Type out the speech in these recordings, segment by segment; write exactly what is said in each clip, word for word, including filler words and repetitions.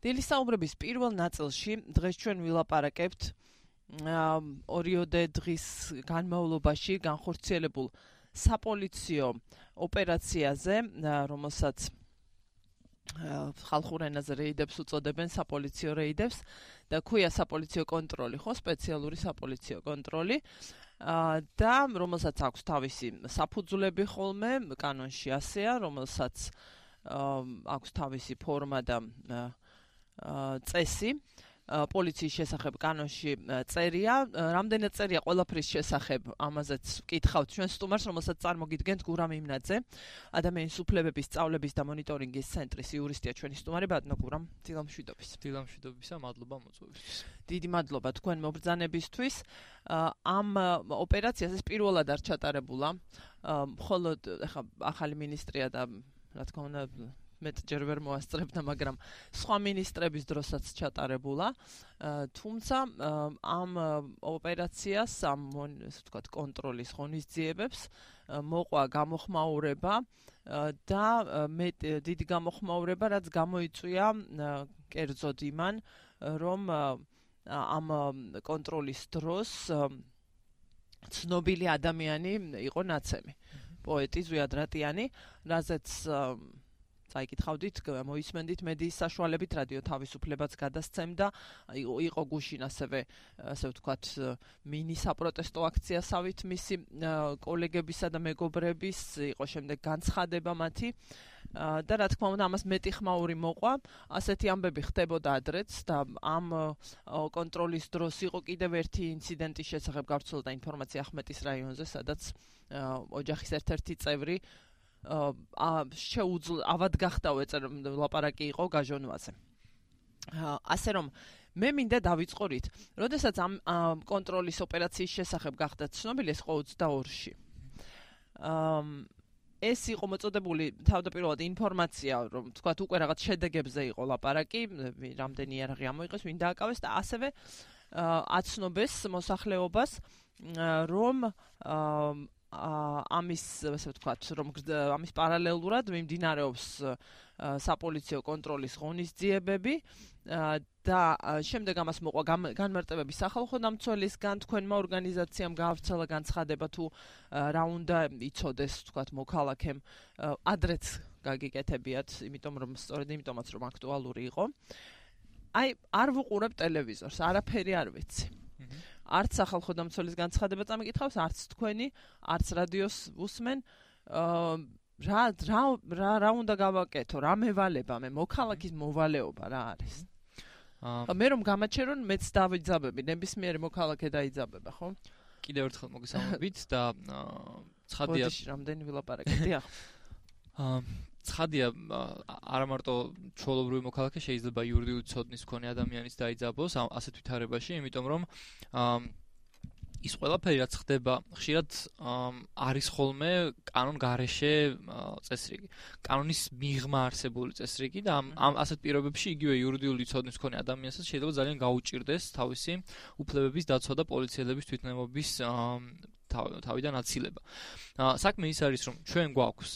დილის საუბრების პირველ ნაწილში დღეს ჩვენ ვილაპარაკებთ ორიოდე დღის განმავლობაში განხორციელებულ საპოლიციო ოპერაციაზე, რომელსაც ხალხურ ენაზე რეიდებს უწოდებენ, საპოლიციო რეიდებს და ქვია საპოლიციო კონტროლი, ხო, სპეციალური საპოლიციო კონტროლი და რომელსაც აქვს თავისი საფუძვლები ხოლმე, კანონში ასეა, რომელსაც აქვს თავისი ფორმა და წესი. პოლიციის შესახებ კანონში წერია, რამდენად წერია ყველაფრის შესახებ, ამაზეც ვკითხავთ ჩვენ სტუმარს, რომელსაც წარმოგიდგენთ გურამ იმნაძე, ადამიანის უფლებების სწავლების და მონიტორინგის ცენტრის იურისტია ჩვენი სტუმარი ბატონო გურამ, დილამშვიდობის. დილამშვიდობისა, მადლობა მოწვევისთვის. დიდი მადლობა თქვენ მობრძანებისთვის. ამ ოპერაციას ეს პირველად არ ჩატარებულა, მხოლოდ ეხა ახალი მინისტრია და რა თქმა უნდა მეტჯერ ვერ მოასწრებდა, მაგრამ სხვა მინისტრების დროსაც ჩატარებულა. თუმცა ამ ოპერაციას, ამ ესე ვთქვათ, კონტროლის ღონისძიებებს მოყვა გამოხმაურება და დიდი გამოხმაურება, რაც გამოიწვია კერძოდ იმან, რომ ამ კონტროლის დროს ცნობილი ადამიანი იყო ნაცემი, პოეტი ზვიად რატიანი, რაზეც წაიკითხავდით, მოისმენდით მედიის საშუალებით, რადიო თავისუფლებაც გადასცემდა, იყო გუშინ ასევე, ასე ვთქვათ, მინი საპროტესტო აქციასავით მისი კოლეგებისა და მეგობრების, იყო შემდეგ განცხადება მათი და რა თქმა უნდა ამას მეტი ხმაური მოყვა, ასეთი ამბები ხდებოდა ადრეც და ამ კონტროლის დროს იყო კიდევ ერთი ინციდენტის შესახებ გავრცელდა ინფორმაცია ახმეტის რაიონზე, სადაც ოჯახის ერთ-ერთი წევრი შეუძლო ავად გახდაო ეწერ ლაპარაკი იყო გაჟონვაზე. ასე რომ მე მინდა დავიწყორით, როდესაც ამ კონტროლის ოპერაციის შესახებ გახდა ცნობილი, ეს იყო ოცდაორში. ეს იყო მოწოდებული თავდაპირველად ინფორმაცია, რომ თქვათ უკვე რაღაც შედეგებზე იყო ლაპარაკი, რამდენი იარაღი ამოიღეს, ვინ დააკავეს და ასევე აცნობეს მოსახლეობას, რომ ამის, ასე ვთქვათ, რომ ამის პარალელურად მიმდინარეობს საპოლიციო კონტროლის ღონისძიებები და შემდეგ ამას მოყვა განმარტებები სახალხო დამცველისგან, თქვენმა ორგანიზაციამ გაავრცელა განცხადება თუ რა უნდა იცოდეს, ვთქვათ, მოქალაქემ, ადრეც გაგიკეთებიათ, იმიტომ რომ სწორედ იმიტომაც რომ აქტუალური იყო. აი, არ ვუყურებ ტელევიზორს, არაფერი არ ვიცი. არც სახალხო დამცველის განცხადება წამიკითხავს, არც თქვენი, არც რადიოს უსმენ. რა რა რა უნდა გავაკეთო, რა მევალება მე, მოქალაქის მოვალეობა რა არის? მე რომ გამაჩერონ, მეც დავიძაბები, ნებისმიერი მოქალაქე დაიძაბება, ხო? კიდევ ერთხელ მოგესალმებით და ცხადია, რამდენი ვილაპარაკეთ, დიახ. ცხადია, არა მარტო ჩვეულებრივი მოქალაქე შეიძლება იურიდიული ცოდნის მქონე ადამიანიც დაიძაბოს ასეთ ვითარებაში, იმიტომ რომ ის ყველაფერი რაც ხდება, ხშირად არის ხოლმე კანონ გარეშე წესრიგი. კანონის მიღმა არსებული წესრიგი და ამ ასეთ პირობებში იგივე იურიდიული ცოდნის მქონე ადამიანსაც შეიძლება ძალიან გაუჭირდეს თავისი უფლებების დაცვა და პოლიციელების თვითნებობის თავიდან აცილება. საქმე ის არის, რომ ჩვენ გვაქვს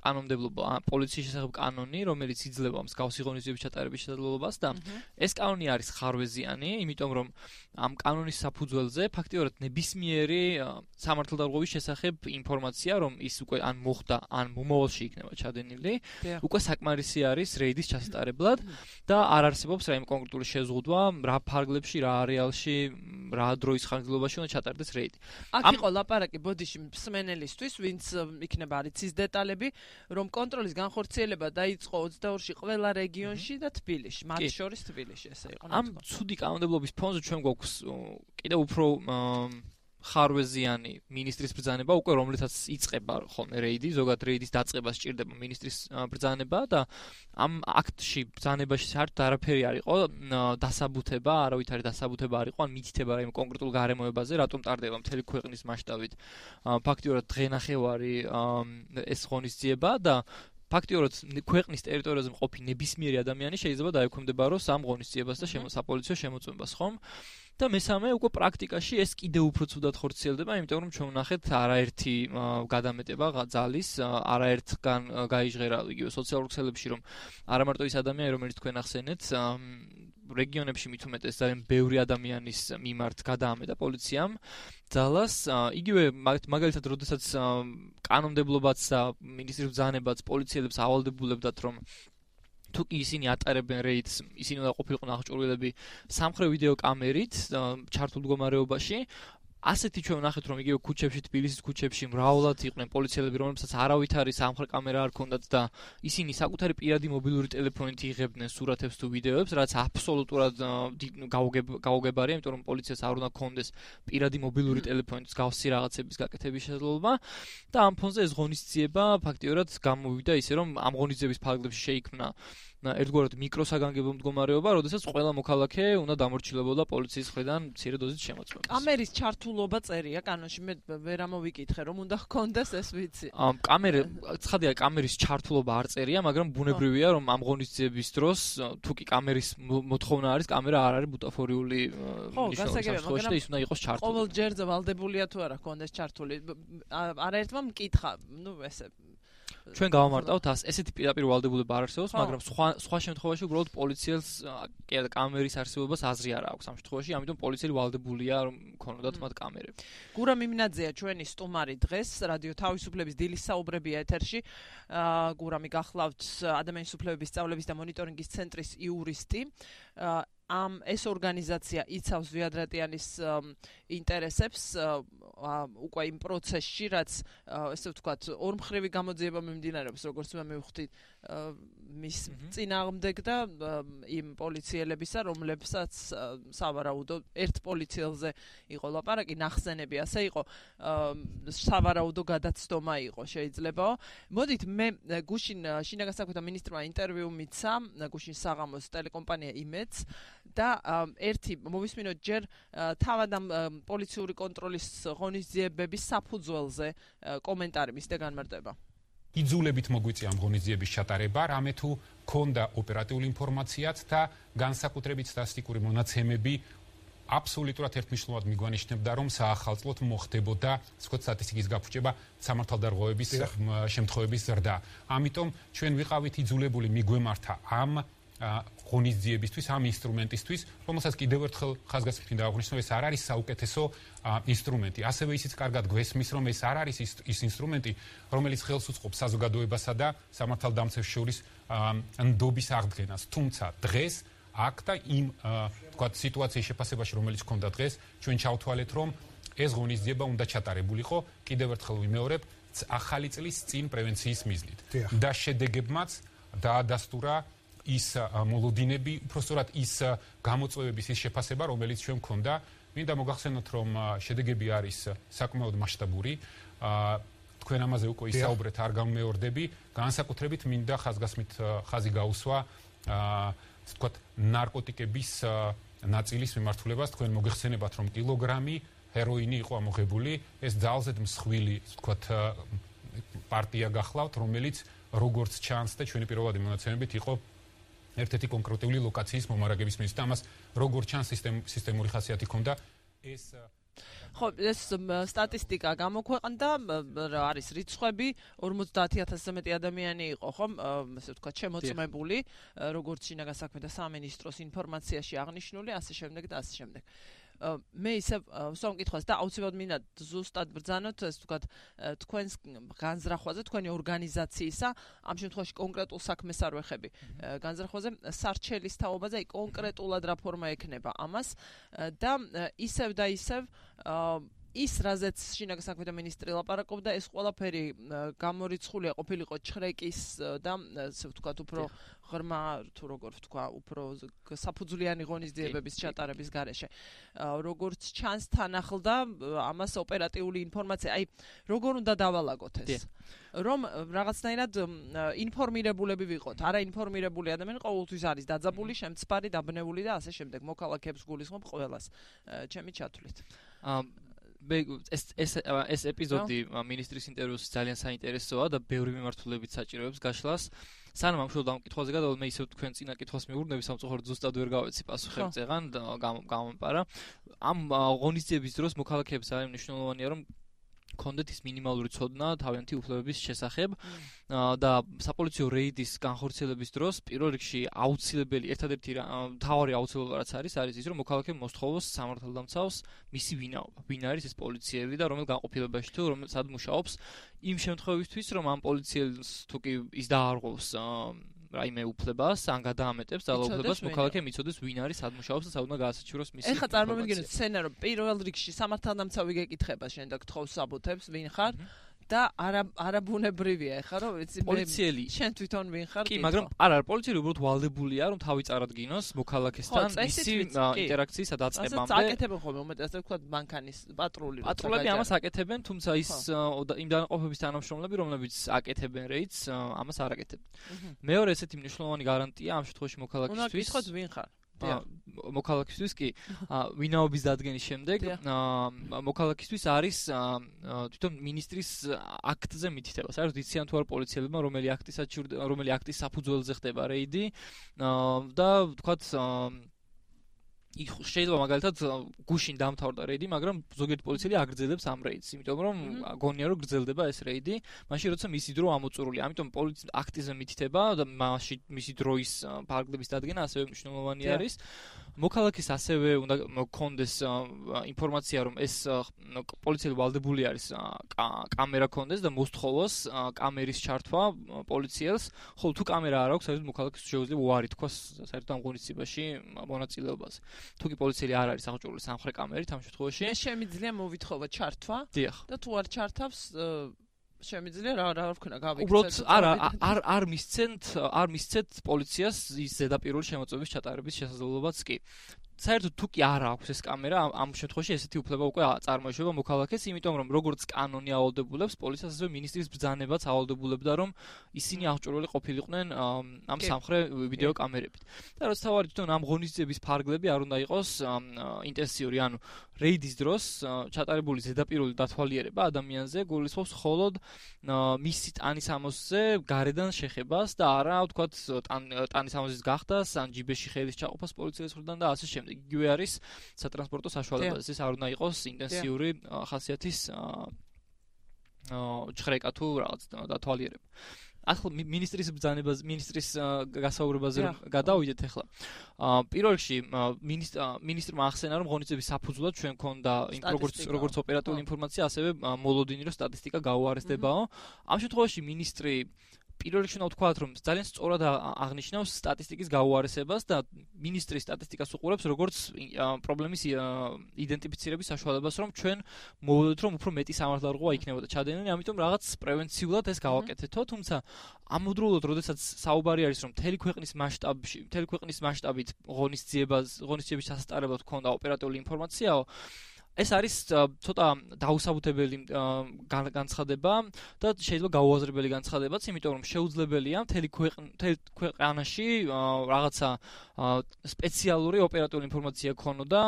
კანონმდებლობა, პოლიციის შესახებ კანონი, რომელიც იძლევა მსგავსი ღონისძიების ჩატარების შესაძლებლობას და ეს კანონი არის ხარვეზიანი, იმიტომ რომ ამ კანონის საფუძველზე ფაქტიურად ნებისმიერი სამართალდარღვევის შესახებ ინფორმაცია, რომ ის უკვე ან მოხდა, ან მომავალში იქნება ჩადენილი, უკვე საკმარისი არის რეიდის ჩასატარებლად და არ არსებობს რაიმე კონკრეტული შეზღუდვა, რა ფარგლებში, რა არეალში, რა დროის ხანგრძლივობაში უნდა ჩატარდეს რეიდი. აქ იყო ლაპარაკი ბოდიში მსმენელისთვის, ვინც იქნება არ იცის დეტალები, რომ კონტროლის განხორციელება დაიწყო ოცდაორში ყველა რეგიონში და თბილისში, მათ შორის თბილისში ესე იყო. ამ ცუდი კანონმდებლობის ფონზე ჩვენ გვაქვს კიდევ უფრო ხარვეზიანი მინისტრის ბრძანება, უკვე რომლითაც იწყება ხოლმე რეიდი, ზოგადად რეიდის დაწყებას სჭირდება მინისტრის ბრძანება და ამ აქტში ბრძანებაში საერთოდ არაფერი არ იყო დასაბუთება, არავითარი დასაბუთება არ იყო, ან მითითება რაიმე კონკრეტულ გარემოებაზე, რატომ ტარდება მთელი ქვეყნის მასშტაბით. ფაქტიურად დღენახევარი ეს ღონისძიება და ფაქტიურად ქვეყნის ტერიტორიაზე მყოფი ნებისმიერი ადამიანი შეიძლება დაექვემდებაროს ამ ღონისძიებას და საპოლიციო შემოწმებას, ხომ? და მესამე უკვე პრაქტიკაში ეს კიდევ უფრო ცუდად ხორციელდება, იმიტომ რომ ჩვენ ვნახეთ არაერთი გადამეტება ძალის, არაერთგან გაიჟღერა იგივე სოციალურ ქსელებში, რომ არა მარტო ის ადამიანი, რომელიც თქვენ ახსენეთ, რეგიონებში მით უმეტეს ძალიან ბევრი ადამიანის მიმართ გადაამეტა პოლიციამ ძალას, იგივე მაგალითად, როდესაც კანონმდებლობაც და მინისტრის ბრძანებაც პოლიციელებს ავალდებულებდათ, რომ თუ კი ისინი ატარებენ რეიდს, ისინი უნდა ყოფილიყო აღჭურვილები სამხრე ვიდეო კამერით ჩართულ მდგომარეობაში. ასეთი ჩვენ ვნახეთ, რომ იგივე ქუჩებში, თბილისის ქუჩებში მრავლად იყვნენ პოლიციელები, რომლებსაც არავით არის სამხრე კამერა არ ქონდათ და ისინი საკუთარი პირადი მობილური ტელეფონით იღებდნენ სურათებს თუ ვიდეოებს, რაც აბსოლუტურად გაუგებარია, იმიტომ რომ პოლიციას არ უნდა ქონდეს პირადი მობილური ტელეფონით გავსი რაღაცების გაკეთების შესაძლებლობა და ამ ფონზე ეს ღონისძიება ფაქტიურად გამოვიდა ისე, რომ ამ ღონისძიების ფარგლებში შეიქმნა ერთგვარად მიკროსაგანგებო მდგომარეობა, როდესაც ყველა მოქალაქე უნდა დამორჩილებოდა პოლიციის მხრიდან მცირე დოზის შემოწმებას. კამერის ჩართულობა წერია კანონში, მე ვერ ამოვიკითხე, რომ უნდა ჰქონდეს ეს ვიცი. ამ კამერა, ცხადია, კამერის ჩართულობა არ წერია, მაგრამ ბუნებრივია, რომ ამ ღონისძიების დროს თუ კი კამერის მოთხოვნა არის, კამერა არ არის ბუტაფორიული ნიშნულობა და ის უნდა იყოს ჩართული. ყოველ ჯერზე ვალდებულია თუ არა ჰქონდეს ჩართული. არაერთმა მკითხა, ну ესე ჩვენ გავამარტავთ ესეთი პირდაპირ ვალდებულება არ არსებობს, მაგრამ სხვა სხვა შემთხვევაში უბრალოდ პოლიციელს კამერის არსებობას აზრი არ აქვს ამ შემთხვევაში, ამიტომ პოლიციელი ვალდებულია რომ ქონოდათ მათ კამერები. გურამ იმნაძეა ჩვენი სტუმარი დღეს, რადიო თავისუფლების დილის საუბრებია ეთერში. გურამი გახლავთ ადამიანის უფლებების სწავლების და მონიტორინგის ცენტრის იურისტი. ამ ეს ორგანიზაცია იცავს ვიადრატიანის ინტერესებს უკვე იმ პროცესში, რაც ესე ვთქვათ, ორმხრივი გამოძიება მიმდინარეობს, როგორც მე მივხვდი მის წინააღმდეგ და იმ პოლიციელებისა, რომლებსაც სავარაუდო ერთ პოლიციელზე იყო ლაპარაკი, ნახსენები ასე იყო, სავარაუდო გადაცდომა იყო შეიძლებაო. მოდით მე გუშინ შინაგან საქმეთა მინისტრმა ინტერვიუ მიცა, გუშინ საღამოს ტელეკომპანია იმედს და ერთი მოვისმინოთ ჯერ თავად ამ პოლიციური კონტროლის ღონისძიებების საფუძველზე კომენტარი მის და განმარტება. იძულებით მოგვიწია ამ ღონისძიების ჩატარება, რამე თუ ქონდა ოპერატიული ინფორმაციაც და განსაკუთრებით სტატისტიკური მონაცემები აბსოლუტურად ერთმნიშვნელოვნად მიგვანიშნებდა, რომ საახალწლოდ მოხდებოდა სკოტ სტატისტიკის გაფუჭება სამართალდარღვევების შემთხვევების ზრდა. ამიტომ ჩვენ ვიყავით იძულებული მიგვემართა ამ ღონისძიებისთვის, ამ ინსტრუმენტისთვის, რომელსაც კიდევ ერთხელ ხაზგასმით დავაღვნიშნო, ეს არ არის საუკეთესო ინსტრუმენტი. ასევე ისიც კარგად გვესმის, რომ ეს არ არის ის ინსტრუმენტი, რომელიც ხელს უწყობს საზოგადოებასა და სამართალდამცევს შორის ნდობის აღდგენას. თუმცა დღეს აქ და იმ თქვათ სიტუაციის შეფასებაში, რომელიც ჰქონდა დღეს, ჩვენ ჩავთვალეთ, რომ ეს ღონისძიება უნდა ჩატარებულიყო, კიდევ ერთხელ ვიმეორებ, ახალი წლის წინ პრევენციის მიზნით. და შედეგებმაც დაადასტურა ის მოლოდინები, უпростоრად ის გამოწვევების ის შეფასება, რომელიც ჩვენ გვქონდა. მინდა მოგახსენოთ, რომ შედეგები არის საკმაოდ მასშტაბური. თქვენ ამაზე უკვე ისაუბრეთ, არ გამეორდები. განსაკუთრებით მინდა ხაზგასმით ხაზი გაუსვა, თქვათ, ნარკოტიკების ნაწილის მიმართულებას. თქვენ მოგეხსენებათ, რომ კილოგრამი ჰეროინი იყო ამოღებული. ეს ძალზედ მსხვილი, თქვათ, პარტია გახლავთ, რომელიც როგორც ჩანს და ჩვენი პირველადი მონაცემებით იყო ერთ-ერთი კონკრეტული ლოკაციის მომარაგების მიზნით. ამას როგორ ჩანს სისტემური ხასიათი ჰქონდა ეს ხო, ეს სტატისტიკა გამოქვეყნდა, არის რიცხვები, ორმოცდაათი ათასზე მეტი ადამიანი იყო, ხომ, ასე ვთქვათ, შემოწმებული, როგორც შინაგან საქმეთა სამინისტროს ინფორმაციაში აღნიშნული, ასე შემდეგ და ასე შემდეგ. მე ისე ვსვამ კითხვას და აუცილებლად მინდა ზუსტად ბრძანოთ, ეს ვთქვათ, თქვენს განზრახვაზე, თქვენი ორგანიზაციისა, ამ შემთხვევაში კონკრეტულ საქმეს არ ვეხები. განზრახვაზე სარჩელის თაობაზე, აი კონკრეტულად რა ფორმა ექნება ამას და ისევ და ისევ ის, რაზეც შინაგან საქმეთა მინისტრი ლაპარაკობდა, ეს ყველაფერი გამორიცხულია ყოფილიყო ჩხრეკის და ასე ვთქვათ, უფრო ღრმა თუ როგორ ვთქვა, უფრო საფუძვლიანი ღონისძიებების ჩატარების გარეშე. როგორც ჩანს თან ახლდა ამას ოპერატიული ინფორმაცია, აი როგორ უნდა დავალაგოთ ეს? რომ რაღაცნაირად ინფორმირებულები ვიყოთ. არა ინფორმირებული ადამიანი ყოველთვის არის დაძაბული, შემცπარი, დაბნეული და ასე შემდეგ. მოქალაქეებს გულისხმობ ყველას. ჩემი ჩათვლით. ეს ეს ეს ეპიზოდი მინისტრის ინტერვიუს ძალიან საინტერესოა და ბევრი მიმართულებით საჭიროებს გაშლას. სანამ ამ შულდა ამ კითხვაზე გადავიდე, მე ისევ თქვენ წინა კითხვას მიურნები, სამწუხაროდ ზუსტად ვერ გავეცი პასუხი წეღან გამომპარა. ამ ღონისძიების დროს მოქალაქეებს არის მნიშვნელოვანია, რომ კონდეთ ის მინიმალური ცოდნა თავიანთი უფლებების შესახებ და საპოლიციო რეიდის განხორციელების დროს პირველ რიგში აუცილებელი ერთადერთი მთავარი აუცილებლობა რაც არის არის ის რომ მოქალაქემ მოსთხოვოს სამართალდამცავს მისი ვინაობა ვინ არის ეს პოლიციელი და რომელ განყოფილებაში თუ რომელ სად მუშაობს იმ შემთხვევისთვის რომ ამ პოლიციელს თუ კი ის დაარღვევს რაიმე უფლებას ან გადაამეტებს ძალაუფლებას მოქალაქე მიცოდეს ვინ არის სად მუშაობს და სად უნდა გაასაჩივროს მისი ეხლა წარმოვიდგინოთ სცენა რომ პირველ რიგში სამართალდამცავი გეკითხება შენ და გთხოვს საბუთებს ვინ ხარ და არა არაბუნებრივია ეხლა რომ ვიცი პოლიციელი შენ თვითონ ვინ ხარ კი მაგრამ არ არის პოლიციელი უბრალოდ ვალდებულია რომ თავი წარადგინოს მოქალაქესთან მისი ინტერაქციის დაწყებამდე აკეთებენ ხოლმე უმეტესად ვთქვათ მანქანის პატრული პატრულები ამას აკეთებენ თუმცა ის იმ დანაყოფების თანამშრომლები რომლებიც აკეთებენ რეიდს ამას არ აკეთებენ მეორე ესეთი მნიშვნელოვანი გარანტია ამ შემთხვევაში მოქალაქისთვის უნდა გითხოთ ვინ ხარ მოქალაქისთვის კი ვინაობის დადგენის შემდეგ მოქალაქისთვის არის თვითონ ministris აქტზე მითითება. საერთოდ იციან თუ არ პოლიციელებმა რომელი აქტის რომელი აქტის საფუძველზე ხდება რეიდი და ვთქვათ იქ შეიძლება მაგალითად გუშინ დამთავრდა რეიდი, მაგრამ ზოგიერთი პოლიციელი აგრძელებს ამ რეიდს, იმიტომ რომ გონია რომ გრძელდება ეს რეიდი, მაშინ როცა მისი დრო ამოწურულია. ამიტომ პოლიციის აქტზე მითითება და მაშინ მისი დროის ფარგლების დადგენა ასევე მნიშვნელოვანი არის. მოქალაქეს ასევე უნდა გქონდეს ინფორმაცია რომ ეს პოლიციელი ვალდებული არის კამერა გქონდეს და მოსთხოვოს კამერის ჩართვა პოლიციელს, ხოლო თუ კამერა არ აქვს, საერთოდ მოქალაქეს შეუძლია უარი თქვას საერთოდ ამ ღონისძიებაში მონაწილეობას. თუ კი პოლიციელი არ არის აღჭურვილი სამხრეთ კამერით ამ შემთხვევაში მე შემიძლია მოვითხოვა ჩართვა და თუ არ ჩართავს შემიძლია რა რა ვქნა გავიქცეთ უბრალოდ არ არ არ მისცენთ არ მისცეთ პოლიციას ის ზედაპირული შემოწმების ჩატარების შესაძლებლობაც კი საერთოდ თუ კი არ აქვს ეს კამერა ამ შემთხვევაში ესეთი უფლება უკვე წარმოიშვება მოქალაქეს იმიტომ რომ როგორც კანონი ავალდებულებს პოლიციას ასევე ministris ბრძანებაც ავალდებულებდა რომ ისინი აღჭურვილი ყოფილიყვნენ ამ სამხრეთ ვიდეო კამერებით და რაც თავარი თვითონ ამ ღონისძიების ფარგლები არ უნდა იყოს ინტენსიური ანუ რეიდის დროს ჩატარებული ზედაპირული დათვალიერება ადამიანზე გულისხმობს მხოლოდ მისი ტანის ამოსზე გარედან შეხებას და არა ვთქვათ ტანის ამოსის გახდას ან ჯიბეში ხელის ჩაყოფას პოლიციის მხრიდან და ასე შემდეგ იგივე არის სატრანსპორტო საშუალებაზე ეს არ უნდა იყოს ინტენსიური ხასიათის ჭხრეკა თუ რაღაც დათვალიერება ახლა ministris ბრძანებას ministris გასაუბრებაზე გადავიდეთ ახლა პირველ რიგში ministrმა ახსენა რომ ღონისძიების საფუძვლად ჩვენ გქონდა როგორც როგორც ოპერატიული ინფორმაცია ასევე მოლოდინი რომ სტატისტიკა გაუარესდებაო ამ შემთხვევაში ministri პირველ რიგში უნდა ვთქვათ რომ ძალიან სწორად აღნიშნავს სტატისტიკის გაუარესებას და ministri სტატისტიკას უყურებს როგორც პრობლემის იდენტიფიცირების საშუალებას რომ ჩვენ მოვედოთ რომ უფრო მეტი სამართალდაღუა იქნებოდა ჩადენილი ამიტომ რაღაც პრევენციულად ეს გავაკეთეთო თუმცა ამავდროულად როდესაც საუბარი არის რომ მთელი ქვეყნის მასშტაბში მთელი ქვეყნის მასშტაბით ღონისძიებას ღონისძიების სასტარებლად ქონდა ოპერატიული ინფორმაციაო ეს არის ცოტა დაუსაბუთებელი განცხადება და შეიძლება გაუაზრებელი განცხადებაც, იმიტომ რომ შეუძლებელია მთელი ქვეყანაში რაღაცა სპეციალური ოპერატიული ინფორმაცია ქონოდა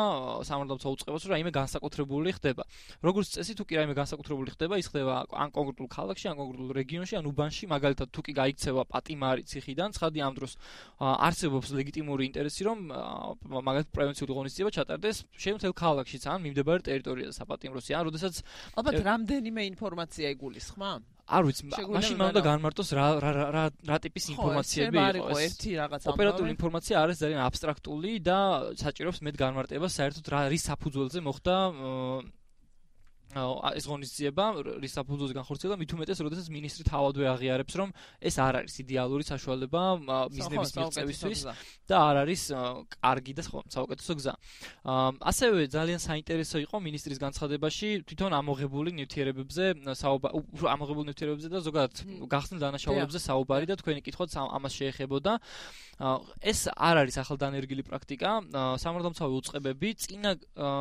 სამართალდამცავ უწყებას, რომ რაიმე განსაკუთრებული ხდება. როგორც წესი, თუ კი რაიმე განსაკუთრებული ხდება, ის ხდება ან კონკრეტულ ქალაქში, ან კონკრეტულ რეგიონში, ან უბანში, მაგალითად თუ კი გაიქცევა პატიმარი ციხიდან, ცხადი ამ დროს არსებობს ლეგიტიმური ინტერესი, რომ მაგალითად პრევენციული ღონისძიება ჩატარდეს შემთხვევით ქალაქშიც ან მიმდებარე ტერიტორიაზე საპატიმროსი ან როდესაც ალბათ რამდენიმე ინფორმაცია იგულისხმა? არ ვიცი, მაშინ მან უნდა განმარტოს რა რა რა რა ტიპის ინფორმაციები იყო ერთი რაღაც ოპერატიული ინფორმაცია არის ძალიან აბსტრაქტული და საჭიროებს მეტ განმარტებას საერთოდ რა რის საფუძველზე მოხდა ეს ღონისძიება რის საფუძველზე განხორციელდა მით უმეტეს როდესაც ministri თავადვე აღიარებს რომ ეს არ არის იდეალური საშუალება მიზნების მიღწევისთვის და არ არის კარგი და საუკეთესო გზა. ასევე ძალიან საინტერესო იყო ministris განცხადებაში თვითონ ამოღებული ნივთიერებებზე საუბარი ამოღებული ნივთიერებებზე და ზოგადად გახსნილ დანაშაულებებზე საუბარი და თქვენი კითხვაც ამას შეეხებოდა. ეს არ არის ახალდანერგილი პრაქტიკა. სამართალდამცავი უწყებები წინა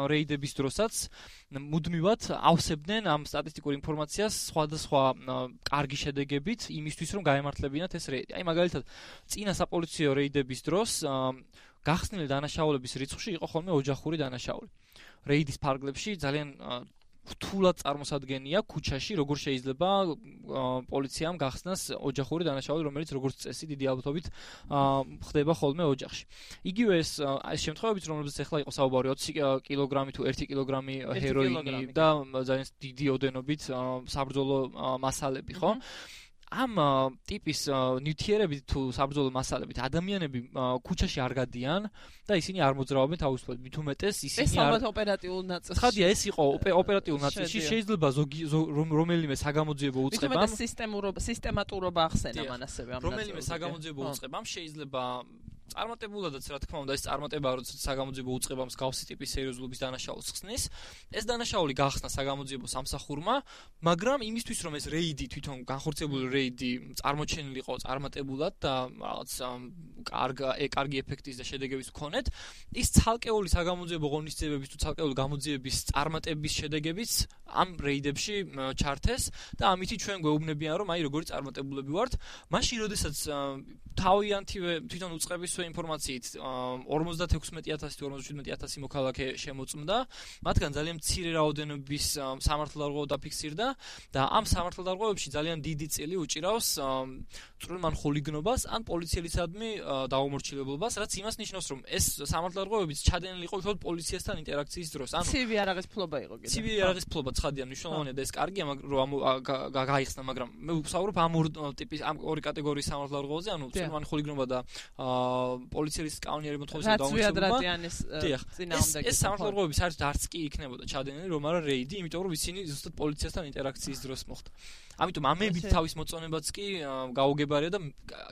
რეიდების დროსაც მუდმივად ავსებდნენ ამ სტატისტიკურ ინფორმაციას სხვადასხვა კარგი შედეგებით იმისთვის რომ გაემართლებინათ ეს რეიდი. აი მაგალითად წინა საპოლიციო რეიდების დროს გახსნილი დანაშაულების რიცხვში იყო ხოლმე ოჯახური დანაშაული. რეიდის ფარგლებში ძალიან რთულად წარმოსადგენია ქუჩაში, როგორ შეიძლება პოლიციამ გახსნას ოჯახური დანაშაული, რომელიც როგორც წესი დიდი ალბათობით ხდება ხოლმე ოჯახში. იგივე ეს ეს შემთხვევებიც, რომელზეც ახლა იყო საუბარი ოცი კილოგრამი თუ ერთი კილოგრამი ჰეროინი და ძალიან დიდი ოდენობით საბრძოლო მასალები, ხო? ამ ტიპის ნივთიერებით თუ საბრძოლო მასალებით ადამიანები ქუჩაში არ გადიან და ისინი არ მოძრაობენ თავისუფლად. მით უმეტეს ისინი ეს ალბათ ოპერატიულ ნაწილში. ხადია ეს იყო ოპერატიულ ნაწილში, შეიძლება ზოგი რომელიმე საგამოძიებო უწყებამ, მით უმეტეს სისტემურობა, სისტემატურობა ახსენა მან ასევე ამ ნაწილში. რომელიმე საგამოძიებო უწყებამ შეიძლება წარმატებულადაც რა თქმა უნდა ეს წარმატება როცა საგამოძიებო უწყებამ მსგავსი ტიპის სერიოზულობის დანაშაულს ხსნის, ეს დანაშაული გახსნა საგამოძიებო სამსახურმა, მაგრამ იმისთვის რომ ეს რეიდი თვითონ განხორციელებული რეიდი წარმოჩენილიყო წარმატებულად და რაღაც კარგი კარგი ეფექტის და შედეგების მქონეთ, ის ცალკეული საგამოძიებო ღონისძიებების თუ ცალკეული გამოძიების წარმატების შედეგებიც ამ რეიდებში ჩართეს და ამით ჩვენ გვეუბნებიან რომ აი როგორი წარმატებულები ვართ, მაშინ როდესაც თავიანთივე თვითონ უწყების ინფორმაციით ორმოცდაექვსმეტი ათასი თუ ორმოცდაშვიდმეტი ათასი მოქალაქე შემოწმდა, მათგან ძალიან მცირე რაოდენობის სამართალდარღვევა დაფიქსირდა და ამ სამართალდარღვევებში ძალიან დიდი წილი უჭირავს წვრილმან ხულიგნობას ან პოლიციელისადმი დაუმორჩილებლობას, რაც იმას ნიშნავს, რომ ეს სამართალდარღვევებიც ჩადენილი იყო უბრალოდ პოლიციასთან ინტერაქციის დროს. ანუ ცივი არაღის ფლობა იყო კიდე. ცივი არაღის ფლობა ცხადია, მნიშვნელოვანია და ეს კარგია, რომ გაიხსნა, მაგრამ მე ვსაუბრობ ამ ორი ტიპის ამ ორი კატეგორიის სამართალდარღვევაზე, ანუ წვრილმან ხულიგნობა და პოლიციის კანონიერი მოთხოვნის დაუმორჩილებლობა. ეს სამართალდარღვევები საერთოდ არც კი იქნებოდა ჩადენილი, რომ არა რეიდი, იმიტომ რომ ისინი ზუსტად პოლიციასთან ინტერაქციის დროს მოხდა. ამიტომ ამებით თავის მოწონებაც კი გაუგებარია და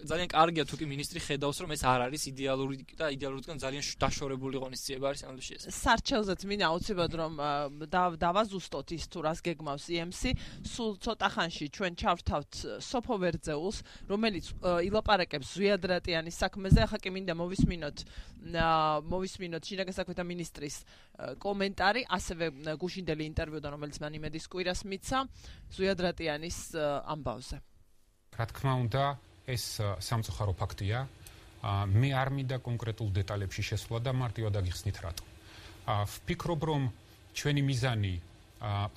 ძალიან კარგია თუ კი მინისტრი ხედავს რომ ეს არ არის იდეალური და იდეალურიდან ძალიან დაშორებული ღონისძიება არის ამაში ეს. სარჩელზეც მინდა აუცილებლად რომ დავაზუსტოთ ის თუ რას გეგმავს ი ემ სი, სულ ცოტა ხანში ჩვენ ჩავრთავთ სოფო ვერძეულს, რომელიც ილაპარაკებს ზვიად რატიანის საქმეზე. ახლა კი მინდა მოვისმინოთ მოვისმინოთ შინაგან საქმეთა მინისტრის კომენტარი, ასევე გუშინდელი ინტერვიუდან, რომელიც მან იმედის კვირას მიცა ზვიად რატიანის ამბავზე. რა თქმა უნდა, ეს სამწუხარო ფაქტია. მე არ მინდა კონკრეტულ დეტალებში შესვლა და მარტივად აგიხსნით რატო. ვფიქრობ, რომ ჩვენი მიზანი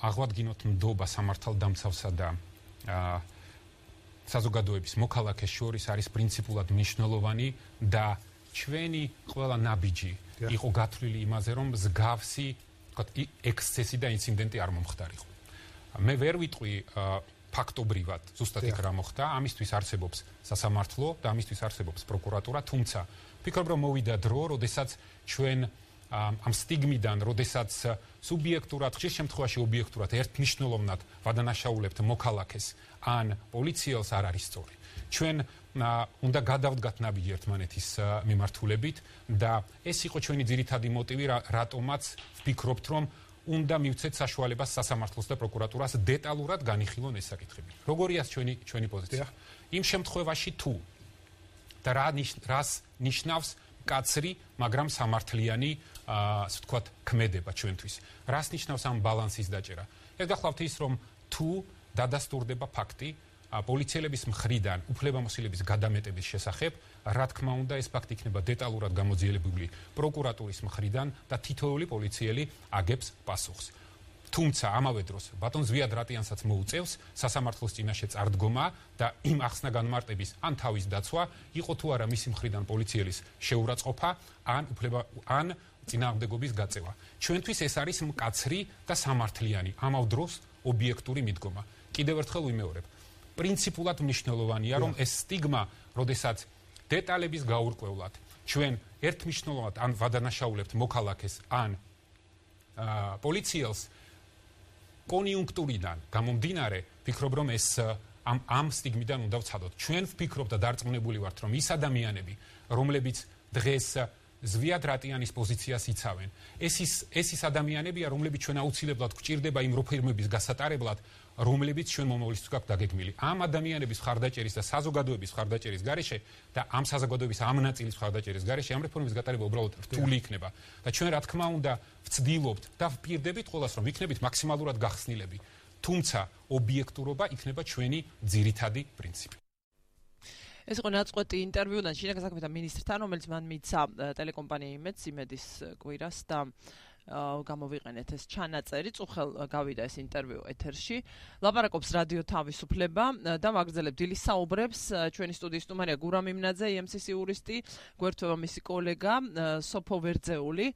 აღვადგინოთ ნდობა სამართალდამცავსა და საზოგადოების მოქალაქეს შორის არის პრინციპულად მნიშვნელოვანი და ჩვენი ყველა ნაბიჯი იყო გათვლილი იმაზე, რომ მსგავსი, ვთქვათ, ექსცესი და ინციდენტი არ მომხდარიყო. მე ვერ ვიტყვი ფაქტობრივად, ზუსტად იქ რა მოხდა, ამისთვის არსებობს სასამართლო და ამისთვის არსებობს პროკურატურა, თუმცა ვფიქრობ, რომ მოვიდა დრო, როდესაც ჩვენ ამ სტიგმიდან, როდესაც სუბიექტურად, ხშირ შემთხვევაში ობიექტურად ერთმნიშვნელოვნად ვადანაშაულებთ მოქალაქეს ან პოლიციელს არ არის სწორი. ჩვენ უნდა გადავდგათ ნაბიჯი ერთმანეთის მიმართულებით და ეს იყო ჩვენი ძირითადი მოტივი, რატომაც ვფიქრობთ, რომ უნდა მივცეთ საშუალებას სასამართლოს და პროკურატურას დეტალურად განიხილონ ეს საკითხები. როგორია ჩვენი ჩვენი პოზიცია? იმ შემთხვევაში თუ და რა რას ნიშნავს კაცრი, მაგრამ სამართლიანი, ასე ვთქვათ, ქმედება ჩვენთვის. რას ნიშნავს ამ ბალანსის დაჭერა? ეს გახლავთ ის, რომ თუ დადასტურდება ფაქტი პოლიციელების მხრიდან უფლებამოსილების გადამეტების შესახებ, რა თქმა უნდა, ეს ფაქტი იქნება დეტალურად გამოძიებული პროკურატურის მხრიდან და თითოეული პოლიციელი აგებს პასუხს. თუმცა ამავე დროს ბატონ ზვიად რატიანსაც მოუწევს სასამართლოს წინაშე წარდგომა და იმ ახსნა განმარტების ან თავის დაცვა, იყო თუ არა მისი მხრიდან პოლიციელის შეურაცხყოფა, ან უფლება ან წინააღმდეგობის გაწევა. ჩვენთვის ეს არის მკაცრი და სამართლიანი, ამავ დროს ობიექტური მიდგომა. კიდევ ერთხელ ვიმეორებ, პრინციპულად მნიშვნელოვანია, რომ ეს სტიგმა, როდესაც დეტალების გაურკვევლად ჩვენ ერთმნიშვნელოვნად ან ვადანაშაულებთ მოქალაქეს ან პოლიციელს კონიუნქტურიდან გამომდინარე, ვფიქრობ, რომ ეს ამ ამ სტიგმიდან უნდა ვცადოთ. ჩვენ ვფიქრობ და დარწმუნებული ვართ, რომ ის ადამიანები, რომლებიც დღეს ზვიად რატიანის პოზიციას იცავენ, ეს ის ეს ის ადამიანებია, რომლებიც ჩვენ აუცილებლად გვჭირდება იმ რეფორმების გასატარებლად, რომლებიც ჩვენ მომავლისთვის გვაქვს დაგეგმილი. ამ ადამიანების მხარდაჭერის და საზოგადოების მხარდაჭერის გარეშე და ამ საზოგადოების ამ ნაწილის მხარდაჭერის გარეშე ამ რეფორმების გატარება უბრალოდ რთული იქნება. და ჩვენ რა თქმა უნდა ვცდილობთ და ვპირდებით ყველას, რომ იქნებით მაქსიმალურად გახსნილები. თუმცა ობიექტურობა იქნება ჩვენი ძირითადი პრინციპი. ეს იყო ნაწყვეტი ინტერვიუდან შინაგან საქმეთა მინისტრთან, რომელიც მან მიცა ტელეკომპანია იმედს, იმედის კვირას და გამოვიყენეთ ეს ჩანაწერი, წუხელ გავიდა ეს ინტერვიუ ეთერში. ლაპარაკობს რადიო თავისუფლება და ვაგრძელებთ დილის საუბრებს. ჩვენი სტუდიის სტუმარია გურამ იმნაძე, ი ემ სი-ის იურისტი, გვერდთვევა მისი კოლეგა სოფო ვერძეული,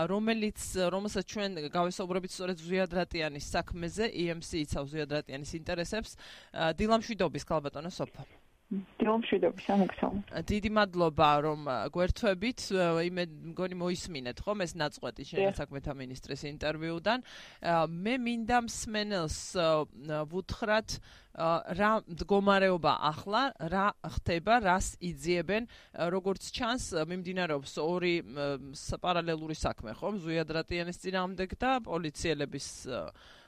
რომელიც რომელსაც ჩვენ გავესაუბრებით სწორედ ზვიად რატიანის საქმეზე, ი ემ სი იცავს ზვიად რატიანის ინტერესებს. დილამშვიდობის, ქალბატონო სოფო. დილამშვიდობის, ამოგსალმო. დიდი მადლობა, რომ გვერდთვებით. იმე მგონი მოისმინეთ ხომ ეს ნაწყვეტი შენგან საქმეთა მინისტრის ინტერვიუდან. მე მინდა მსმენელს ვუთხრათ რა მდგომარეობა ახლა, რა ხდება, რას იძიებენ, როგორც ჩანს, მიმდინარეობს ორი პარალელური საქმე, ხომ? ზვიად რატიანის წინააღმდეგ და პოლიციელების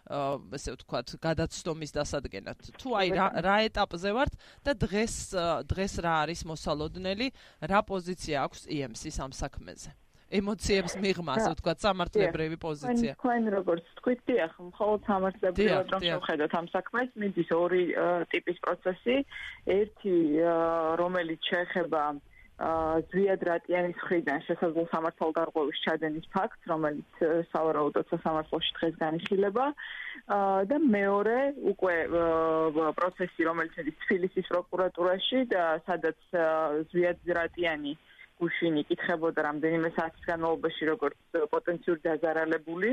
ესე ვთქვათ, გადაცდომის დასადგენად. თუ აი რა ეტაპზე ვართ და დღეს დღეს რა არის მოსალოდნელი, რა პოზიცია აქვს ი ემ სი-ს ამ საქმეზე? ემოციებს მიღმა, ასე ვთქვათ, სამართლებრივი პოზიცია. თქვენ როგორც თქვით, დიახ, მხოლოდ სამართლებრივად რომ შევხედოთ ამ საქმეს, მიდის ორი ტიპის პროცესი. ერთი, რომელიც შეეხება ზვიად რატიანის მხრიდან შესაძლო სამართალდარღვევის ჩადენის ფაქტს, რომელიც სავარაუდოდ სასამართლოში დღეს განიხილება, და მეორე უკვე პროცესი, რომელიც მიდის თბილისის პროკურატურაში და სადაც ზვიად რატიანი გუშინი იკითხებოდა რამდენიმე საათის განმავლობაში როგორც პოტენციური დაზარალებული,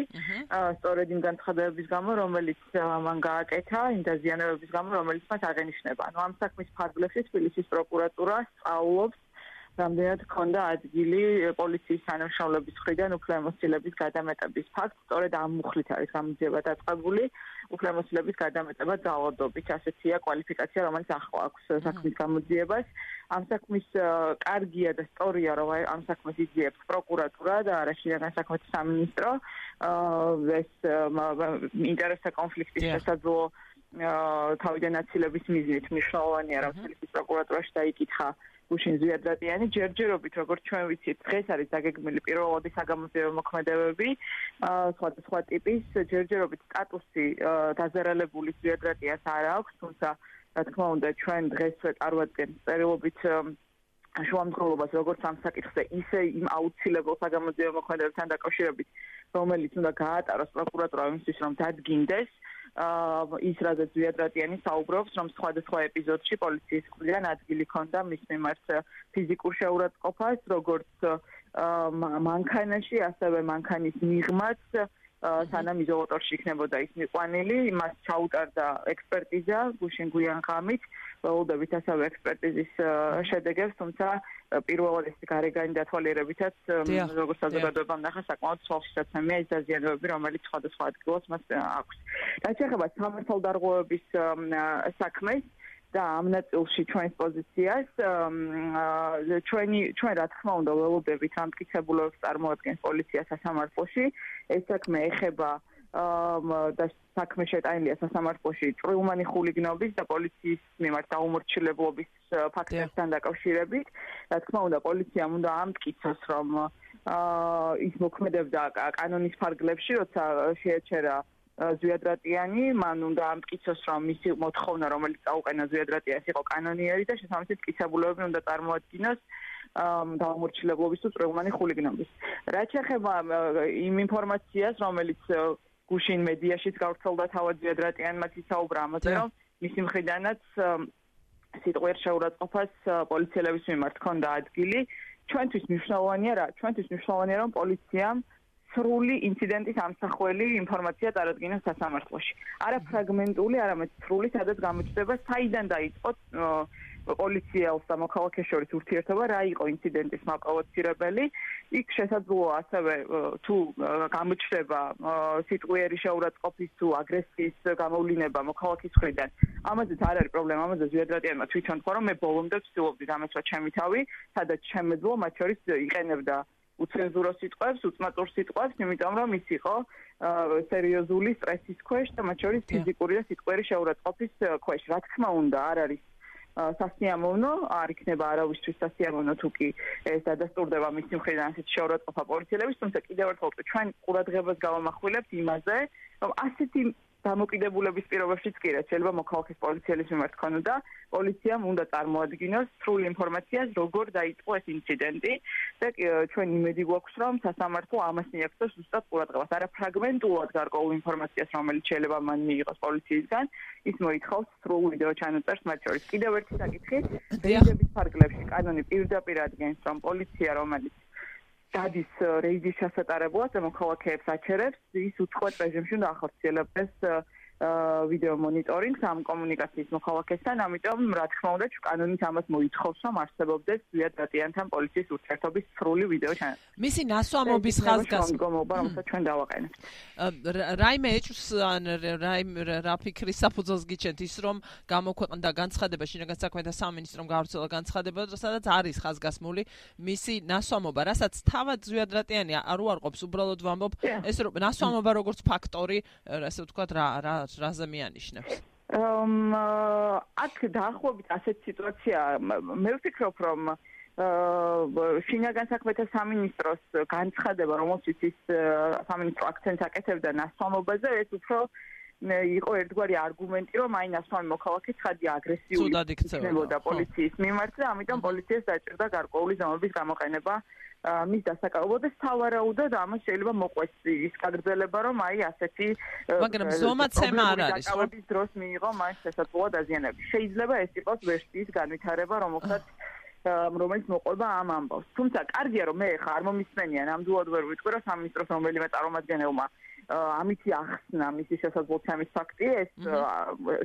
სწორედ იმ განცხადებების გამო, რომელიც მან გააკეთა, იმ დაზიანებების გამო, რომელიც მას აღენიშნება. ანუ ამ საქმის ფარგლებში თბილისის პროკურატურა სწავლობს რამდენად ჰქონდა ადგილი პოლიციის თანამშრომლების მხრიდან უფლებამოსილების გადამეტების ფაქტს, სწორედ ამ მუხლით არის გამოძიება დაწყებული, უფლებამოსილების გადამეტება ძალადობით, ასეთია კვალიფიკაცია, რომელიც ახლა აქვს საქმის გამოძიებას. ამ საქმის კარგია და სწორია, რომ ამ საქმეს იძიებს პროკურატურა და არა შინაგან საქმეთა სამინისტრო. ეს ინტერესთა კონფლიქტის შესაძლო თავიდან აცილების მიზნით მნიშვნელოვანია, რომ თბილისის პროკურატურაში დაიკითხა გუშინ ზვიად რატიანი, ჯერჯერობით, როგორც ჩვენ ვიცით, დღეს არის დაგეგმილი პირველადი საგამოძიებო მოქმედებები, სხვადასხვა ტიპის, ჯერჯერობით სტატუსი დაზარალებული ზვიად რატიანს არ აქვს, თუმცა რა თქმა უნდა, ჩვენ დღეს წარვადგენთ წერილობით შუამდგომლობას როგორც ამ საკითხზე, ისე იმ აუცილებელ საგამოძიებო მოქმედებებთან დაკავშირებით, რომელიც უნდა გაატაროს პროკურატურა იმისთვის, რომ დადგინდეს ის რაზეც ზვიად რატიანი საუბრობს, რომ სხვადასხვა ეპიზოდში პოლიციის მხრიდან ადგილი ჰქონდა მის მიმართ ფიზიკურ შეურაცხყოფას, როგორც მანქანაში, ასევე მანქანის მიღმაც, სანამ იზოლატორში იქნებოდა ის მიყვანილი, მას ჩაუტარდა ექსპერტიზა გუშინ გვიან ღამით, ველოდებით ასევე ექსპერტიზის შედეგებს, თუმცა პირველად ეს გარეგანი დათვალიერებითაც როგორც საზოგადოებამ ნახა საკმაოდ სულშეცემია ის დაზიანებები, რომელიც სხვადასხვა ადგილას მას აქვს. რაც შეეხება სამართალდარღვევების საქმეს და ამ ნაწილში ჩვენს პოზიციას, ჩვენი ჩვენ რა თქმა უნდა ველოდებით ამ მტკიცებულებას წარმოადგენს პოლიცია სასამართლოში, ეს საქმე ეხება და საქმე შეტანილია სასამართლოში წვრილმანი ხულიგნობის და პოლიციის მიმართ დაუმორჩილებლობის ფაქტებთან დაკავშირებით. რა თქმა უნდა, პოლიციამ უნდა ამტკიცოს, რომ ის მოქმედებდა კანონის ფარგლებში, როცა შეეჩერა ზვიად რატიანი, მან უნდა ამტკიცოს, რომ მისი მოთხოვნა, რომელიც წაუყენა ზვიად რატიანს, იყო კანონიერი და შესაბამისად მტკიცებულებები უნდა წარმოადგინოს დაუმორჩილებლობის თუ წვრილმანი ხულიგნობის. რაც შეეხება იმ ინფორმაციას, რომელიც გუშინ მედიაშიც გავრცელდა თავად ზვიად რატიანმა ისაუბრა ამაზე, რომ მისი მხრიდანაც სიტყვიერ შეურაცხყოფას პოლიციელების მიმართ ჰქონდა ადგილი. ჩვენთვის მნიშვნელოვანია რა? ჩვენთვის მნიშვნელოვანია, რომ პოლიციამ სრული ინციდენტის ამსახველი ინფორმაცია წარადგინოს სასამართლოში. არა ფრაგმენტული, არამედ სრული, სადაც გამოჩნდება, საიდან დაიწყო პოლიციელს და მოქალაქეს შორის ურთიერთობა, რა იყო ინციდენტის მაპროვოცირებელი. იქ შესაძლოა ასევე თუ გამოჩნდება სიტყვიერი შეურაცხყოფის თუ აგრესიის გამოვლინება მოქალაქის მხრიდან. ამაზეც არ არის პრობლემა, ამაზე ზვიად რატიანმა თვითონ თქვა, რომ მე ბოლომდე ვცდილობდი დამეცვა ჩემი თავი, სადაც შემეძლო, მათ შორის იყენებდა უცენზურო სიტყვებს, უწმაწურ სიტყვებს, იმიტომ რომ ის იყო სერიოზული სტრესის ქვეშ და მათ შორის ფიზიკური და სიტყვიერი შეურაცხყოფის ქვეშ. რა თქმა უნდა, არ არის სასიამოვნო, არ იქნება არავისთვის სასიამოვნო თუ კი ეს დადასტურდება მისი მხრიდან ასეთი შეურაცხყოფა პოლიციელების, თუმცა კიდევ ერთხელ ჩვენ ყურადღებას გავამახვილებთ იმაზე, რომ ასეთი დამოკიდებულების პირობებშიც კი რაც შეიძლება მოქალაქის პოლიციელის მიმართ ქონოდა, პოლიციამ უნდა წარმოადგინოს სრული ინფორმაცია, როგორ დაიწყო ეს ინციდენტი და ჩვენ იმედი გვაქვს, რომ სასამართლო ამას მიაქცევს ზუსტად ყურადღებას. არა ფრაგმენტულად გარკვეულ ინფორმაციას, რომელიც შეიძლება მან მიიღოს პოლიციისგან, ის მოითხოვს სრულ ვიდეო ჩანაწერს მათ შორის. კიდევ ერთი საკითხი, რეიდების ფარგლებში კანონი პირდაპირ ადგენს, რომ პოლიცია, რომელიც დადის რეიდის ჩასატარებლად და მოქალაქეებს აჩერებს, ის უცხოეთ რეჟიმში უნდა ახორციელებდეს ვიდეო მონიტორინგს ამ კომუნიკაციის მოქალაქესთან, ამიტომ რა თქმა უნდა კანონით ამას მოითხოვს, რომ არსებობდეს ზვიადრატიანთან პოლიციის ურთიერთობის სრული ვიდეო ჩანაწერი. მისი ნასვამობის ხაზგასმა, რომელსაც ჩვენ დავაყენებთ. რაიმე ეჭვს ან რაიმე რა ფიქრის საფუძველს გიჩენთ ის, რომ გამოქვეყნდა განცხადება შინაგან საქმეთა სამინისტრომ გავრცელა განცხადება, სადაც არის ხაზგასმული მისი ნასვამობა, რასაც თავად ზვიადრატიანი არ უარყოფს, უბრალოდ ვამბობ, ეს ნასვამობა როგორც ფაქტორი, ასე ვთქვათ, რა რა რაზე მიანიშნებს? აქ დაახლოებით ასეთი სიტუაცია, მე ვფიქრობ, რომ შინაგან საქმეთა სამინისტროს განცხადება, რომელშიც ის სამინისტრო აქცენტს აკეთებდა ნასვამობაზე, ეს უფრო იყო ერთგვარი არგუმენტი, რომ აი ნასვამი მოქალაქე ცხადია აგრესიული იქნებოდა პოლიციის მიმართ და ამიტომ პოლიციას დაჭირდა გარკვეული ზომების გამოყენება მის დასაკავებლად და სავარაუდოდ ამას შეიძლება მოყვეს ის გაგრძელება, რომ აი ასეთი მაგრამ ზომაცემა არ არის, ხო? დროს მიიღო მას შესაძლოა დაზიანება. შეიძლება ეს იყოს ვერსიის განვითარება, რომელსაც რომელიც მოყვება ამ ამბავს. თუმცა კარგია, რომ მე ხა არ მომისმენია, ნამდვილად ვერ ვიტყვი, რომ სამინისტროს რომელიმე წარმომადგენელმა ამითი ახსნა მისი შესაძლებლობის ფაქტი, ეს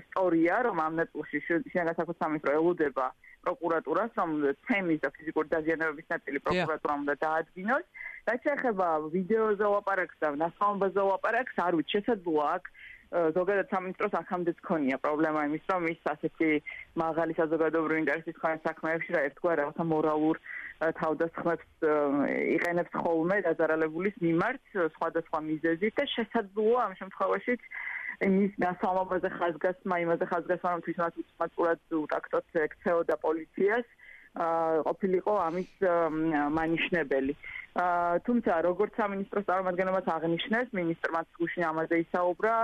სწორია, რომ ამ ნაწილში შინაგან საქმეთა სამინისტრო ელოდება პროკურატურას, რომ თემის და ფიზიკური დაზიანებების ნაწილი პროკურატურამ უნდა დაადგინოს. რაც შეეხება ვიდეოზე ლაპარაკს და ნასვამობაზე ლაპარაკს, არ ვიცი, შესაძლოა აქ ზოგადად სამინისტროს აქამდეც ქონია პრობლემა იმის, რომ ის ასეთი მაღალი საზოგადოებრივი ინტერესის მქონე საქმეებში რა ერთგვარ რაღაცა მორალურ თავდასხმებს იყენებს ხოლმე დაზარალებულის მიმართ სხვადასხვა მიზეზით და შესაძლოა ამ შემთხვევაშიც მის ნასვამობაზე ხაზგასმა, იმაზე ხაზგასმა, რომ თვითონაც უცმაწურად უტაქტოთ ექცეოდა პოლიციას, ყოფილიყო ამის მანიშნებელი. თუმცა როგორც სამინისტროს წარმომადგენლობაც აღნიშნეს, მინისტრმაც გუშინ ამაზე ისაუბრა,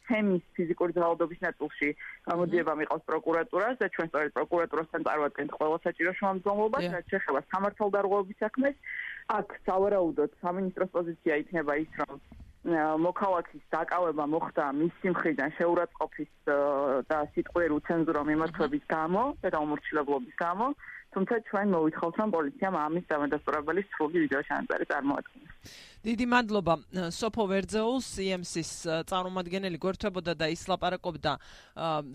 თემის ფიზიკური ძალადობის ნაწილში გამოძიება მიყავს პროკურატურას და ჩვენ სწორედ პროკურატურასთან წარვადგენთ ყველა საჭირო შემამძღვებლობას, რაც შეეხება სამართალდარღვევების საქმეს. აქ სავარაუდოდ სამინისტროს პოზიცია იქნება ის, რომ მოქალაქის დაკავება მოხდა მისი მხრიდან შეურაცხყოფის და სიტყვიერი უცენზურო მიმართვების გამო და დაუმორჩილებლობის გამო, თუმცა ჩვენ მოვითხოვთ, რომ პოლიციამ ამის დამადასტურებელი სრული ვიდეო ჩანაწერი წარმოადგინოს. დიდი მადლობა სოფო ვერძეულს, ი ემ სის წარმომადგენელი გვერდებოდა და ის ლაპარაკობდა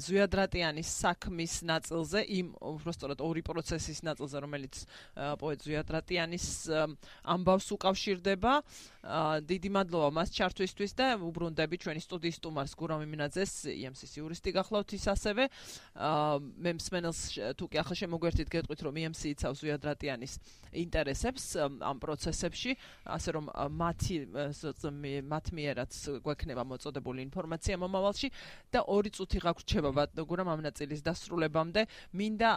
ზვიადრატიანის საქმის ნაწილზე, იმ უბრალოდ ორი პროცესის ნაწილზე, რომელიც პოეტ ზვიადრატიანის ამბავს უკავშირდება. დიდი მადლობა მას ჩართვისთვის და უბრუნდები ჩვენი სტუდიის სტუმარს გურამ იმინაძეს, ი ემ სის იურისტი გახლავთ ის ასევე. მე მსმენელს თუ კი ახლა შემოგვერთით გეტყვით, რომ ი ემ სი იცავს ზვიადრატიანის ინტერესებს ამ პროცესებში, ასე რომ მათი მათ მიერაც გვექნება მოწოდებული ინფორმაცია მომავალში და ორი წუთი გაგვრჩება გურამ ამ ნაწილის დასრულებამდე. მინდა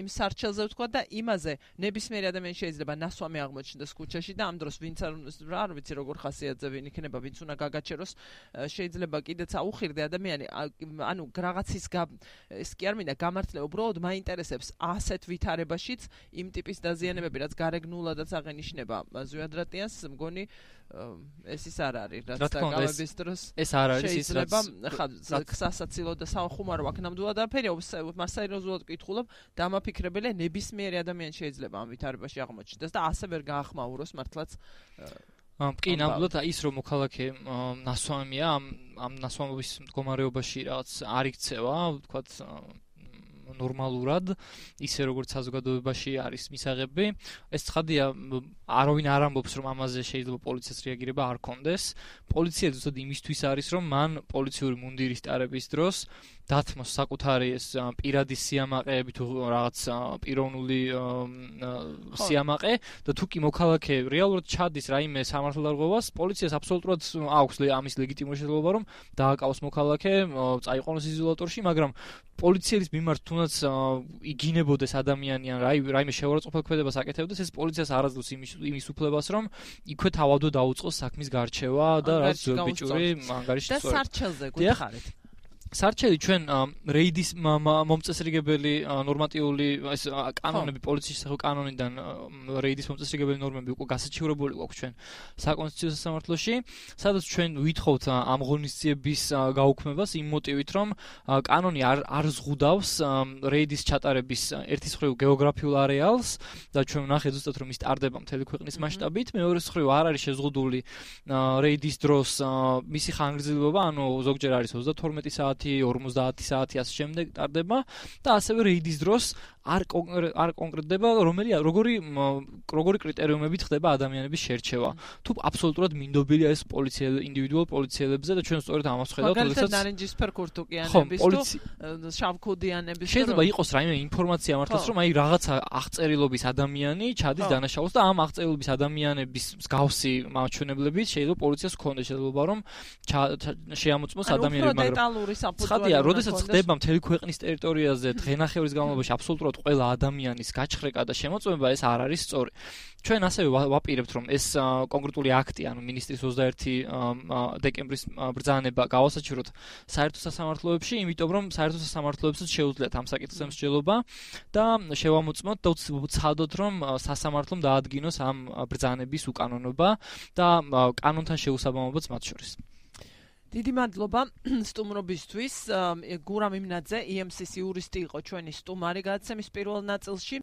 იმ სარჩელზე ვთქვა და იმაზე ნებისმიერი ადამიანი შეიძლება ნასვამი აღმოჩნდეს ქუჩაში და ამ დროს ვინც არ ვიცი როგორ ხასიათზე ვინ იქნება, ვინც უნდა გაგაჩეროს, შეიძლება კიდეც აუხირდე ადამიანი, ანუ რაღაცის ეს კი არ მინდა გამართლება, უბრალოდ მაინტერესებს ასეთ ვითარებაშიც იმ ტიპის დაზიანებები, რაც გარეგნულადაც აღენიშნება ზვიადრატიანს, მგონი ეს ის არ არის, რაც დაკავების დროს ეს არ არის ის, რაც ხა სასაცილო და სახუმარო აქ ნამდვილად არაფერი, მასაიროზულად ვკითხულობ, დამაფიქრებელია ნებისმიერი ადამიანი შეიძლება ამ ვითარებაში აღმოჩნდეს და ასე ვერ გაახმაუროს მართლაც კი, ნამდვილად ის რომ მოქალაქე ნასვამია, ამ ამ ნასვამობის მდგომარეობაში რაღაც არ იქცევა, ვთქვათ ნორმალურად, ისე როგორც საზოგადოებაში არის მისაღები. ეს ცხადია, არავინ არ ამბობს, რომ ამაზე შეიძლება პოლიციას რეაგირება არ კონდეს. პოლიცია ზუსტად იმისთვის არის, რომ მან პოლიციური მუნდირის ტარების დროს დათმოს საკუთარი ეს პირადი სიამაყეები თუ რაღაც პიროვნული სიამაყე და თუ კი მოქალაქე რეალურად ჩადის რაიმე სამართალდარღვევას, პოლიციას აბსოლუტურად აქვს ამის ლეგიტიმური შესაძლებლობა რომ დააკავოს მოქალაქე, წაიყვანოს იზოლატორში, მაგრამ პოლიციის მიმართ თუნდაც იგინებოდეს ადამიანი ან რაიმე შეურაცხყოფელ ქმედებას აკეთებდეს, ეს პოლიციას არ აძლევს იმის უფლებას, რომ იქვე თავადო დაუწყოს საქმის გარჩევა და რაც ბიჭური ანგარიში და სარჩელზე გვითხარით. სარჩელი ჩვენ რეიდის მომწესრიგებელი ნორმატიული ეს კანონები პოლიციის კანონიდან რეიდის მომწესრიგებელი ნორმები უკვე გასაჩივრებული გვაქვს ჩვენ საკონსტიტუციო სასამართლოში, სადაც ჩვენ ვითხოვთ ამ ღონისძიების გაუქმებას იმ მოტივით, რომ კანონი არ არ ზღუდავს რეიდის ჩატარების ერთის მხრივ გეოგრაფიულ არეალს და ჩვენ ვნახეთ ზუსტად რომ ის ტარდება მთელი ქვეყნის მასშტაბით, მეორეს მხრივ არ არის შეზღუდული რეიდის დროს მისი ხანგრძლივობა, ანუ ზოგჯერ არის ოცდათორმეტი საათი ორმოცდაათი საათი ასე შემდეგ ტარდება და ასევე რეიდის დროს არ არ კონკრეტდება რომელი როგორი როგორი კრიტერიუმებით ხდება ადამიანების შერჩევა. თუ აბსოლუტურად მინდობილია ეს პოლიციელ ინდივიდუალ პოლიციელებზე და ჩვენ სწორედ ამას ხედავთ, როდესაც ნარინჯისფერ ქურთუკიანების თუ შავქუდიანების შეიძლება იყოს რაიმე ინფორმაცია მართლაც რომ აი რაღაცა აღწერილობის ადამიანი ჩადის დანაშაულს და ამ აღწერილობის ადამიანების მსგავსი მაჩვენებლებით შეიძლება პოლიციას ჰქონდეს შესაძლებლობა რომ შეამოწმოს ადამიანები, მაგრამ ცხადია, როდესაც ხდება მთელი ქვეყნის ტერიტორიაზე დღენახევრის განმავლობაში აბსოლუტურად ყველა ადამიანის გაჩხრეკა და შემოწმება, ეს არ არის სწორი. ჩვენ ასევე ვაპირებთ, რომ ეს კონკრეტული აქტი, ანუ მინისტრის ოცდაერთი დეკემბრის ბრძანება გავასაჩივროთ საერთო სასამართლოებში, იმიტომ რომ საერთო სასამართლოებსაც შეუძლიათ ამ საკითხზე მსჯელობა და შევამოწმოთ და ვცადოთ, რომ სასამართლომ დაადგინოს ამ ბრძანების უკანონობა და კანონთან შეუსაბამობაც მათ შორის. დიდი მადლობა სტუმრობისთვის. გურამ იმნაძე, ი ემ სის იურისტი იყო ჩვენი სტუმარი გადაცემის პირველ ნაწილში.